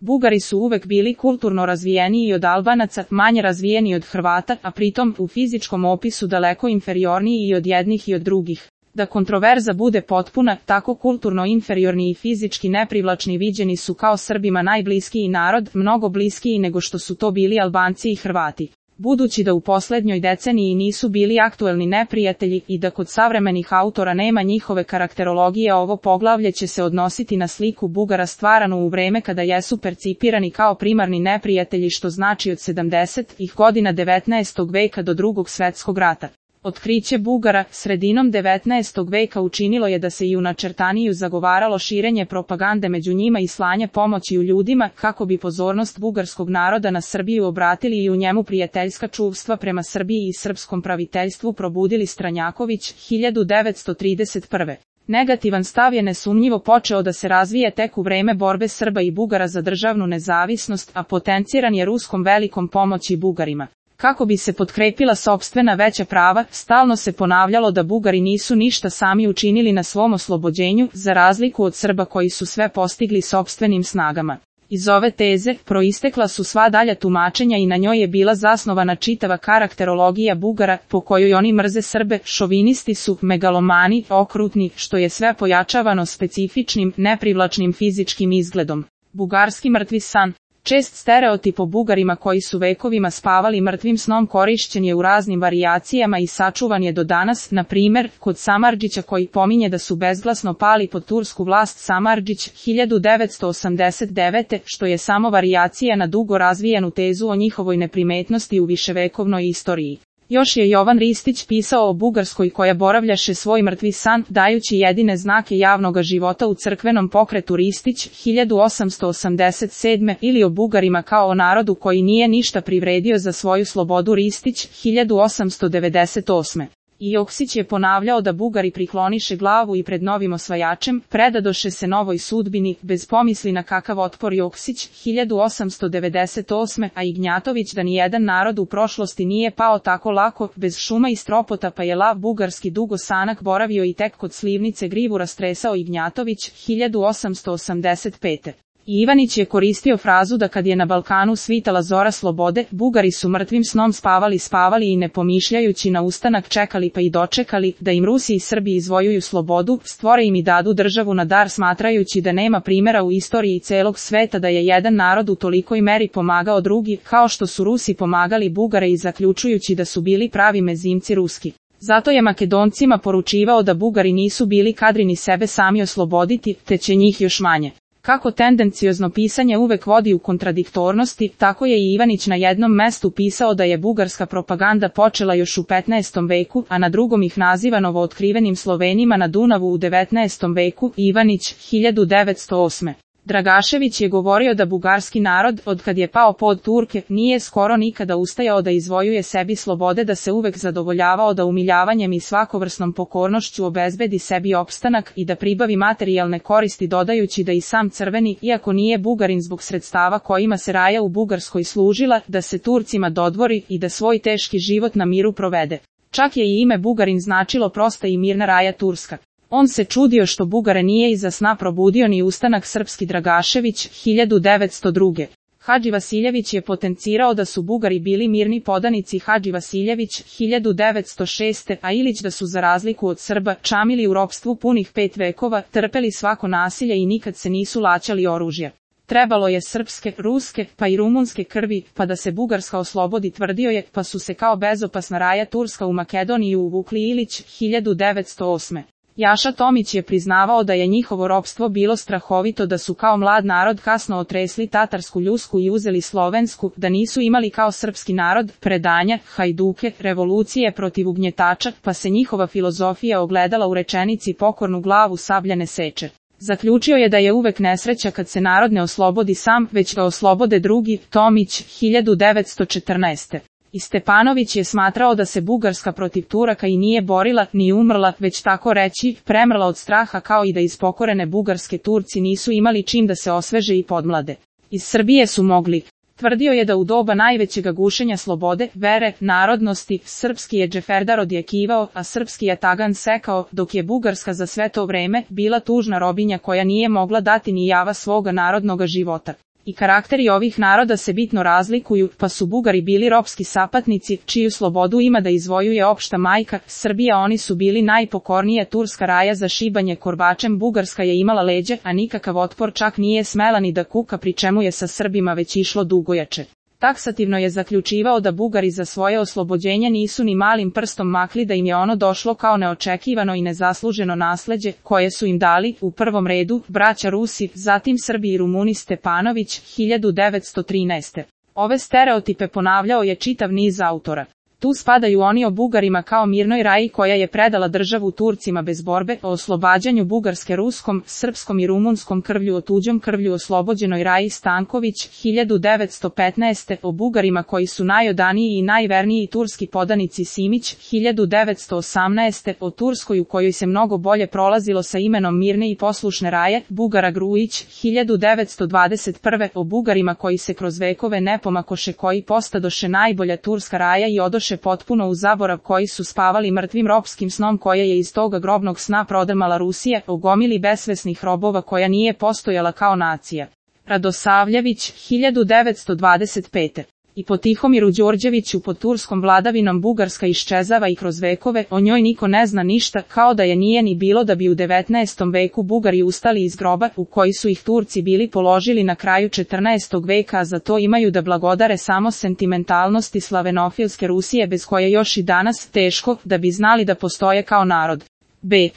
Bugari su uvek bili kulturno razvijeniji od Albanaca, manje razvijeni od Hrvata, a pritom u fizičkom opisu daleko inferiorniji i od jednih i od drugih. Da kontroverza bude potpuna, tako kulturno inferiorni i fizički neprivlačni viđeni su kao Srbima najbliskiji narod, mnogo bliskiji nego što su to bili Albanci i Hrvati. Budući da u poslednjoj deceniji nisu bili aktuelni neprijatelji i da kod savremenih autora nema njihove karakterologije, ovo poglavlje će se odnositi na sliku Bugara stvaranu u vreme kada jesu percipirani kao primarni neprijatelji, što znači od 70-ih godina 19. veka do Drugog svetskog rata. Otkriće Bugara sredinom 19. veka učinilo je da se i u načrtaniju zagovaralo širenje propagande među njima i slanje pomoći u ljudima, kako bi pozornost bugarskog naroda na Srbiju obratili i u njemu prijateljska čuvstva prema Srbiji i srpskom praviteljstvu probudili. Stranjaković, 1931. Negativan stav je nesumnjivo počeo da se razvije tek u vreme borbe Srba i Bugara za državnu nezavisnost, a potenciran je ruskom velikom pomoći Bugarima. Kako bi se potkrepila sopstvena veća prava, stalno se ponavljalo da Bugari nisu ništa sami učinili na svom oslobođenju, za razliku od Srba koji su sve postigli sopstvenim snagama. Iz ove teze proistekla su sva dalja tumačenja i na njoj je bila zasnovana čitava karakterologija Bugara, po kojoj oni mrze Srbe, šovinisti su, megalomani, okrutni, što je sve pojačavano specifičnim, neprivlačnim fizičkim izgledom. Bugarski mrtvi san. Čest stereotip o Bugarima koji su vekovima spavali mrtvim snom korišćen je u raznim varijacijama i sačuvan je do danas, na primer, kod Samardžića koji pominje da su bezglasno pali pod tursku vlast. Samardžić, 1989. što je samo varijacija na dugo razvijenu tezu o njihovoj neprimetnosti u viševekovnoj istoriji. Još je Jovan Ristić pisao o Bugarskoj koja boravljaše svoj mrtvi san, dajući jedine znake javnoga života u crkvenom pokretu. Ristić, 1887. ili o Bugarima kao o narodu koji nije ništa privredio za svoju slobodu. Ristić, 1898. I Joksić je ponavljao da Bugari prikloniše glavu i pred novim osvajačem, predadoše se novoj sudbini, bez pomisli na kakav otpor. Joksić, 1898. A Ignjatović da nijedan narod u prošlosti nije pao tako lako, bez šuma i stropota, pa je lav bugarski dugo sanak boravio i tek kod slivnice grivu rastresao. Ignjatović, 1885. Ivanić je koristio frazu da kad je na Balkanu svitala zora slobode, Bugari su mrtvim snom spavali i ne pomišljajući na ustanak čekali pa i dočekali, da im Rusi i Srbi izvojuju slobodu, stvore im i dadu državu na dar, smatrajući da nema primjera u istoriji celog sveta da je jedan narod u tolikoj meri pomagao drugi, kao što su Rusi pomagali Bugare, i zaključujući da su bili pravi mezimci ruski. Zato je Makedoncima poručivao da Bugari nisu bili kadri ni sebe sami osloboditi, te će njih još manje. Kako tendenciozno pisanje uvek vodi u kontradiktornosti, tako je i Ivanić na jednom mestu pisao da je bugarska propaganda počela još u 15. veku, a na drugom ih naziva novootkrivenim Slovenima na Dunavu u 19. veku. Ivanić, 1908. Dragašević je govorio da bugarski narod, odkad je pao pod Turke, nije skoro nikada ustajao da izvojuje sebi slobode, da se uvek zadovoljavao da umiljavanjem i svakovrsnom pokornošću obezbedi sebi opstanak i da pribavi materijalne koristi, dodajući da i sam crveni, iako nije Bugarin zbog sredstava kojima se raja u Bugarskoj služila, da se Turcima dodvori i da svoj teški život na miru provede. Čak je i ime Bugarin značilo prosta i mirna raja Turska. On se čudio što Bugare nije iza sna probudio ni ustanak srpski. Dragašević, 1902. Hadži Vasiljević je potencirao da su Bugari bili mirni podanici. Hadži Vasiljević, 1906. A Ilić da su za razliku od Srba čamili u ropstvu punih 5 vekova, trpeli svako nasilje i nikad se nisu laćali oružja. Trebalo je srpske, ruske, pa i rumunske krvi, pa da se Bugarska oslobodi, tvrdio je, pa su se kao bezopasna raja Turska u Makedoniju uvukli. Ilić, 1908. Jaša Tomić je priznavao da je njihovo ropstvo bilo strahovito, da su kao mlad narod kasno otresli tatarsku ljusku i uzeli slovensku, da nisu imali kao srpski narod predanja, hajduke, revolucije protiv ugnjetača, pa se njihova filozofija ogledala u rečenici pokornu glavu sabljane seče. Zaključio je da je uvek nesreća kad se narod ne oslobodi sam, već ga oslobode drugi. Tomić, 1914. I Stepanović je smatrao da se Bugarska protiv Turaka i nije borila, ni umrla, već tako reći, premrla od straha, kao i da iz pokorene Bugarske Turci nisu imali čim da se osveže i podmlade. Iz Srbije su mogli. Tvrdio je da u doba najvećega gušenja slobode, vere, narodnosti, srpski je Džeferdar odjekivao, a srpski je Tagan sekao, dok je Bugarska za sve to vreme bila tužna robinja koja nije mogla dati ni java svoga narodnoga života. I karakteri ovih naroda se bitno razlikuju, pa su Bugari bili ropski sapatnici, čiju slobodu ima da izvojuje opšta majka Srbija. Oni su bili najpokornija turska raja za šibanje korbačem. Bugarska je imala leđe, a nikakav otpor, čak nije smela ni da kuka, pri čemu je sa Srbima već išlo dugojače. Taksativno je zaključivao da Bugari za svoje oslobođenje nisu ni malim prstom makli, da im je ono došlo kao neočekivano i nezasluženo nasleđe, koje su im dali, u prvom redu, braća Rusi, zatim Srbi i Rumuni. Stepanović, 1913. Ove stereotipe ponavljao je čitav niz autora. Tu spadaju oni o Bugarima kao mirnoj raji koja je predala državu Turcima bez borbe, o oslobađanju Bugarske ruskom, srpskom i rumunskom krvlju, o tuđom krvlju oslobođenoj raji. Stanković, 1915. O Bugarima koji su najodaniji i najverniji turski podanici. Simić, 1918. O Turskoj u kojoj se mnogo bolje prolazilo sa imenom mirne i poslušne raje. Bugara. Grujić, 1921. O Bugarima koji se kroz vekove ne pomakoše, koji postadoše najbolja turska raja i odoše potpuno u zaborav, koji su spavali mrtvim ropskim snom koje je iz toga grobnog sna prodrmala Rusija, o gomili besvesnih robova koja nije postojala kao nacija. Radosavljević, 1925. I po Tihomiru Đorđeviću, pod turskom vladavinom Bugarska iščezava i kroz vekove, o njoj niko ne zna ništa, kao da je nije ni bilo, da bi u 19. veku Bugari ustali iz groba, u koji su ih Turci bili položili na kraju 14. veka, a za to imaju da blagodare samo sentimentalnosti slavenofilske Rusije, bez koje još i danas teško da bi znali da postoje kao narod. B.